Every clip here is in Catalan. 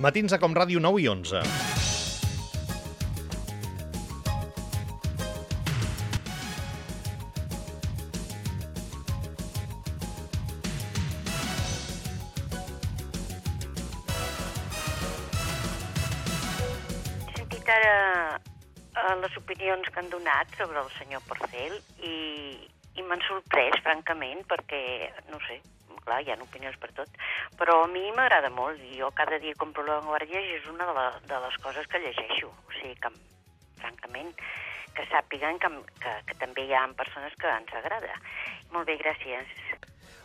Matins a Com Ràdio 9 i 11. He sentit ara les opinions que han donat sobre el senyor Porcel i m'han sorprès, francament, perquè, no sé, clar, hi ha opinions per tot, però a mi m'agrada molt i jo cada dia compro La Vanguardia i és una de les coses que llegeixo. O sigui que, francament, que sàpiguen que també hi ha persones que ens agrada. Molt bé, gràcies.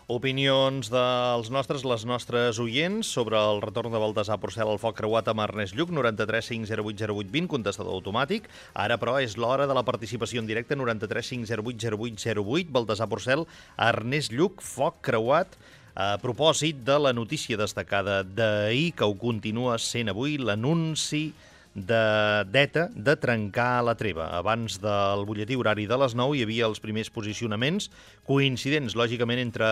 Opinions dels nostres, les nostres oients sobre el retorn de Baltasar Porcel al foc creuat amb Ernest Lluch, 93 508 08 20, contestador automàtic. Ara, però, és l'hora de la participació en directe, 93 508 08 08, Baltasar Porcel, Ernest Lluch, foc creuat, a propòsit de la notícia destacada d'ahir, que ho continua sent avui, l'anunci d'ETA de trencar la treva. Abans del butlletí horari de les 9 hi havia els primers posicionaments coincidents, lògicament, entre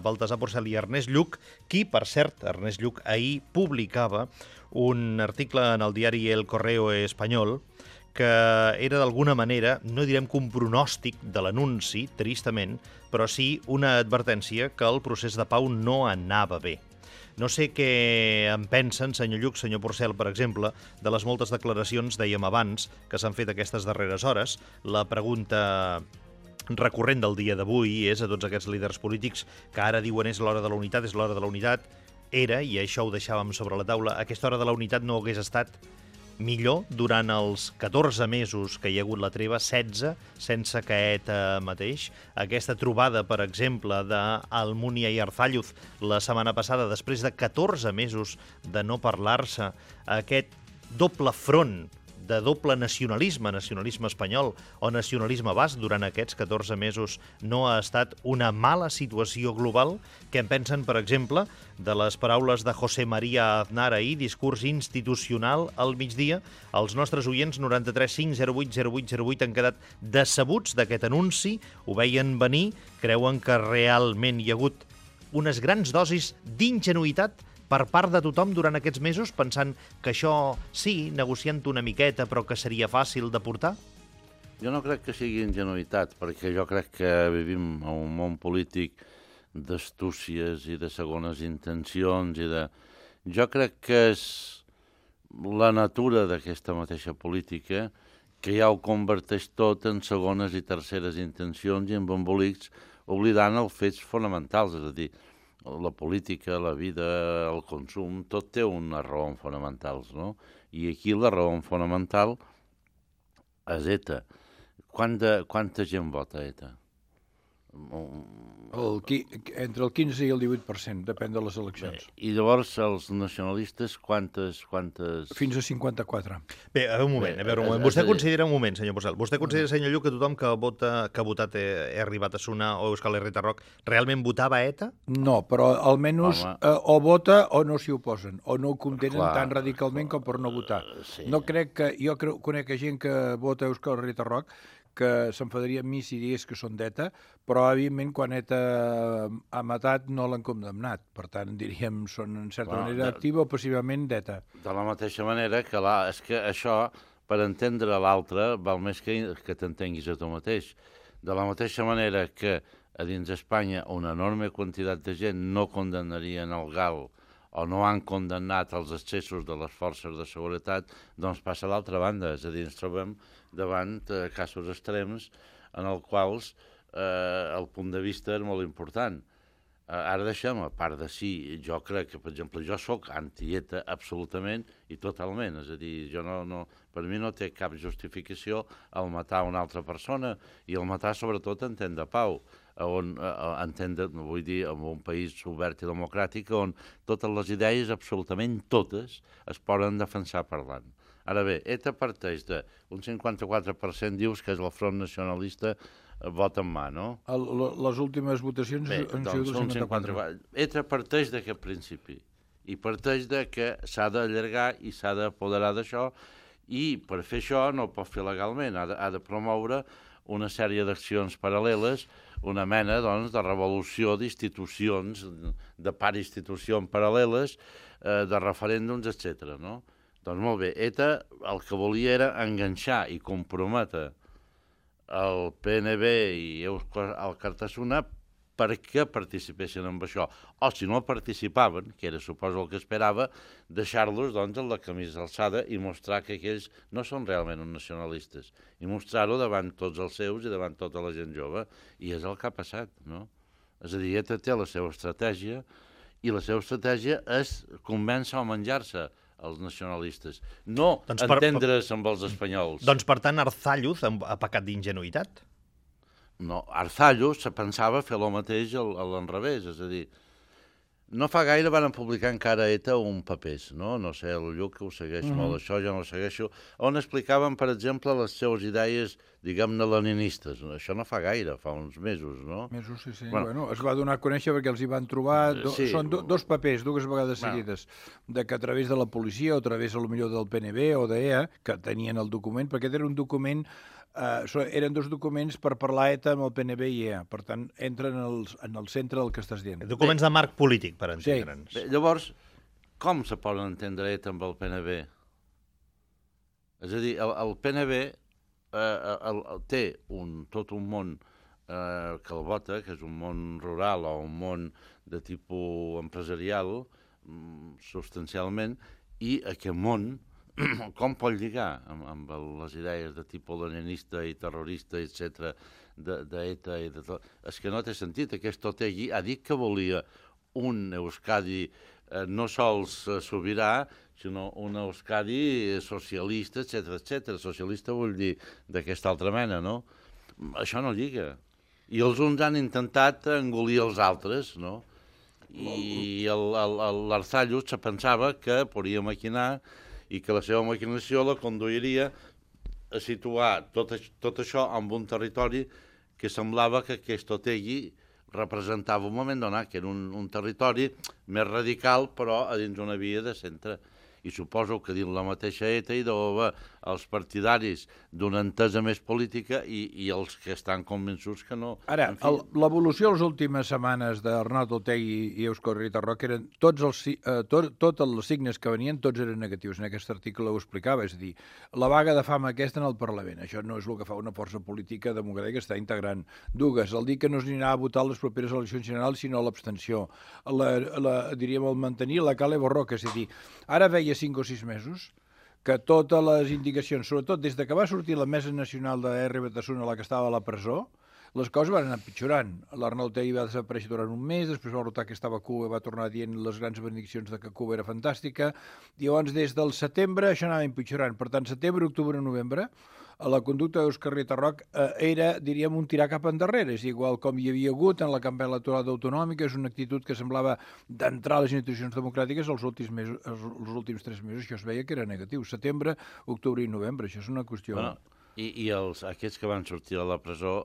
Baltasar Porcel i Ernest Lluch, qui, per cert, Ernest Lluch ahir publicava un article en el diari El Correo Español que era d'alguna manera, no direm que un pronòstic de l'anunci, tristament, però sí una advertència que el procés de pau no anava bé. No sé què en pensen, senyor Lluch, senyor Porcel, per exemple, de les moltes declaracions, dèiem abans, que s'han fet aquestes darreres hores. La pregunta recurrent del dia d'avui és a tots aquests líders polítics que ara diuen és l'hora de la unitat, és l'hora de la unitat. Era, i això ho deixàvem sobre la taula, aquesta hora de la unitat no hagués estat millor durant els 14 mesos que hi ha hagut la treva, 16, sense que ETA mateix. Aquesta trobada, per exemple, d'Almunia i Arzalluz la setmana passada, després de 14 mesos de no parlar-se, aquest doble front de doble nacionalisme, nacionalisme espanyol o nacionalisme basc durant aquests 14 mesos no ha estat una mala situació global? Què en pensen, per exemple, de les paraules de José María Aznar ahir, discurs institucional al migdia? Els nostres oients 93 508 08 08 han quedat decebuts d'aquest anunci, ho veien venir, creuen que realment hi ha hagut unes grans dosis d'ingenuïtat per part de tothom durant aquests mesos, pensant que això, sí, negociant una miqueta, però que seria fàcil de portar? Jo no crec que sigui ingenuïtat, perquè jo crec que vivim en un món polític d'astúcies i de segones intencions i de... Jo crec que és la natura d'aquesta mateixa política que ja ho converteix tot en segones i terceres intencions i en embolics, oblidant els fets fonamentals, és a dir, la política, la vida, el consum, tot té unes raons fonamentals, no? I aquí la raó fonamental és ETA. Quanta gent vota ETA? Entre el 15 i el 18%, depèn de les eleccions. Bé, I llavors els nacionalistes, quantes... Fins a 54. Bé, a veure un moment. Vostè considera, un moment, senyor Porcel, vostè considera, senyor Lluch, que tothom que ha votat Arribat a Sonar o Euskal Herrieta Rock realment votava ETA? No, però almenys o vota o no s'hi oposen, o no ho contenen tan radicalment com per no votar. Sí. No crec que... Jo conec gent que vota Euskal Herrieta Rock que s'enfadaria amb mi si digués que són d'ETA, però evidentment quan ETA ha matat no l'han condemnat. Per tant, diríem, són en certa manera activa o passivament d'ETA. De la mateixa manera que és que això, per entendre l'altre, val més que t'entenguis a tu mateix. De la mateixa manera que a dins d'Espanya una enorme quantitat de gent no condemnarien el GAL o no han condemnat els excessos de les forces de seguretat, doncs passa a l'altra banda. És a dir, ens trobem davant casos extrems en els quals el punt de vista és molt important. Ara deixem, a part de sí, jo crec que, per exemple, jo sóc anti-ETA absolutament i totalment. És a dir, per mi no té cap justificació el matar una altra persona i el matar sobretot en temps de pau. Vull dir, en un país obert i democràtic on totes les idees, absolutament totes, es poden defensar parlant. Ara bé, ETA parteix d'un 54%, dius que és el Front Nacionalista, vota en mà, no? Les últimes votacions han sigut el 54%. ETA parteix d'aquest principi i parteix de que s'ha d'allargar i s'ha d'apoderar d'això i per fer això no ho pot fer legalment, ha de promoure una sèrie d'accions paral·leles, una mena doncs, de revolució d'institucions, de institucions paral·leles, de referèndums, etc. No? Doncs molt bé, ETA el que volia era enganxar i comprometre el PNB i el Cartasuna perquè participessin en això. O si no participaven, que era suposo el que esperava, deixar-los doncs, en la camisa alçada i mostrar que aquells no són realment uns nacionalistes. I mostrar-ho davant tots els seus i davant tota la gent jove. I és el que ha passat, no? És a dir, ETA té la seva estratègia i la seva estratègia és convèncer o menjar-se els nacionalistes, no entendre's amb els espanyols. Doncs, per tant, Arzalluz ha pecat d'ingenuïtat? No, Arzalluz se pensava fer el mateix a l'enrevés, és a dir, no fa gaire van publicar encara ETA un papers, no? No sé, el Lluc que ho segueix molt, això jo no ho segueixo, on explicaven, per exemple, les seves idees, diguem-ne, leninistes. Això no fa gaire, fa uns mesos, no? Mesos, sí. Bueno, es va donar a conèixer perquè els hi van trobar... Són dos papers, dues vegades seguides, de que a través de la policia o a través, potser del PNB o d'EA, que tenien el document, perquè era un document... eren dos documents per parlar ETA amb el PNB i EA. Per tant, entren en el centre del que estàs dient. Documents de marc polític, per entendre'ns. Sí. Llavors, com se poden entendre ETA amb el PNB? És a dir, el PNB té tot un món que el vota, que és un món rural o un món de tipus empresarial, substancialment, i aquest món com pot lligar amb les idees de tipus leninista i terrorista, etc., d'ETA i de tot? És que no té sentit. Aquest Otegi ha dit que volia un Euskadi no sols sobirà, sinó un Euskadi socialista, etc. Socialista vull dir d'aquesta altra mena, no? Això no lliga. I els uns han intentat engolir els altres, no? I l'Arzalluz se pensava que podia maquinar i que la seva maquinació la conduiria a situar tot això en un territori que semblava que aquest Otegi representava un moment donat, que era un territori més radical, però a dins una via de centre. I suposo que dins la mateixa ETA hi deu haver els partidaris d'una entesa més política i els que estan convençuts que no. Ara, l'evolució de les últimes setmanes d'Arnaldo Otegi i Eusko Herritarrok eren tots els signes que venien, tots eren negatius. En aquest article ho explicava, és a dir, la vaga de fam aquesta en el Parlament. Això no és el que fa una força política democràtica que està integrant. Dues, el dir que no s'anirà a votar les properes eleccions generals, sinó l'abstenció. Diríem, el mantenir la cale borroca, és a dir, ara veia 5 o 6 mesos que totes les indicacions, sobretot des de que va sortir la Mesa Nacional de R. Batasuna, la que estava a la presó, les coses van anar empitjorant. L'Arnaldo Otegi va desaparèixer durant un mes, després va rotar que estava a Cuba, va tornar dient les grans benediccions de que Cuba era fantàstica, i llavors des del setembre això anava empitjorant. Per tant, setembre, octubre, novembre, la conducta d'Eusko Herritarrok era, diríem, un tirar cap endarrere. És igual com hi havia hagut en la campanya electoral autonòmica, és una actitud que semblava d'entrar a les institucions democràtiques els últims 3 mesos. Això es veia que era negatiu. Setembre, octubre i novembre. Això és una qüestió... Bueno, i aquests que van sortir de la presó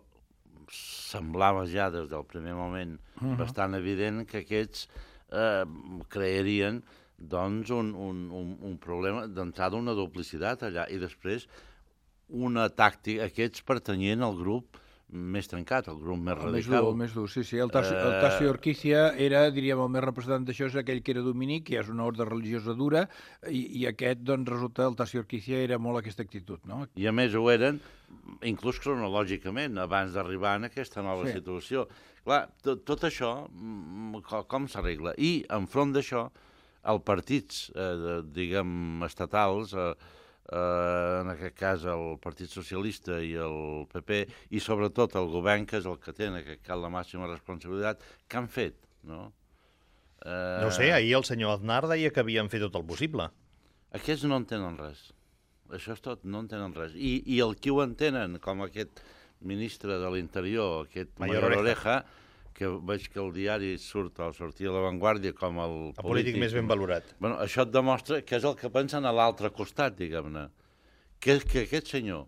semblava ja des del primer moment bastant evident que aquests crearien doncs un problema d'entrada, una duplicitat allà, i després una tàctica. Aquests pertanyien al grup més trencat, el grup més radical. El més dur, sí. El Tassi Orquícia era, diríem, el més representant d'això, és aquell que era dominic, que és una ordre religiosa dura, i aquest, doncs, resulta, el Tassi Orquícia era molt aquesta actitud, no? I a més ho eren, inclús cronològicament, abans d'arribar en aquesta nova situació. Clar, tot això, com s'arregla? I, enfront d'això, els partits, diguem, estatals, en aquest cas el Partit Socialista i el PP, i sobretot el govern, que és el que té en aquest cas la màxima responsabilitat, què han fet, no? No sé, ahir el senyor Aznar deia que havien fet tot el possible. Aquests no entenen res. Això és tot, no entenen res. I el qui ho entenen, com aquest ministre de l'Interior, aquest Mayor Oreja, que veig que el diari sortia a La Vanguardia com el polític més ben valorat. Bueno, això et demostra que és el que pensen a l'altre costat, diguem-ne. Que aquest senyor,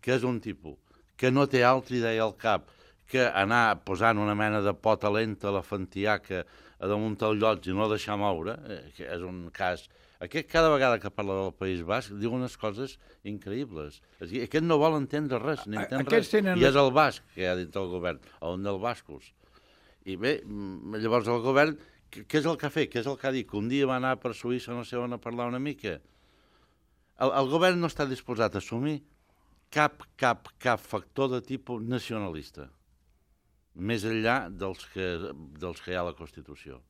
que és un tipus, que no té altra idea al cap que anar posant una mena de pota lenta a la fantiaca a damunt del llot i no deixar moure, que és un cas Aquest cada vegada que parla del País Basc diu unes coses increïbles. És dir, aquest no vol entendre res, ni entén res. I és el basc que hi ha dintre del govern, on del bascos. I bé, llavors el govern, què és el que ha fet? Què és el que ha dit? Que un dia va anar per Suïssa, no sé on, a parlar una mica. El govern no està disposat a assumir cap factor de tipus nacionalista, més enllà dels que hi ha a la Constitució.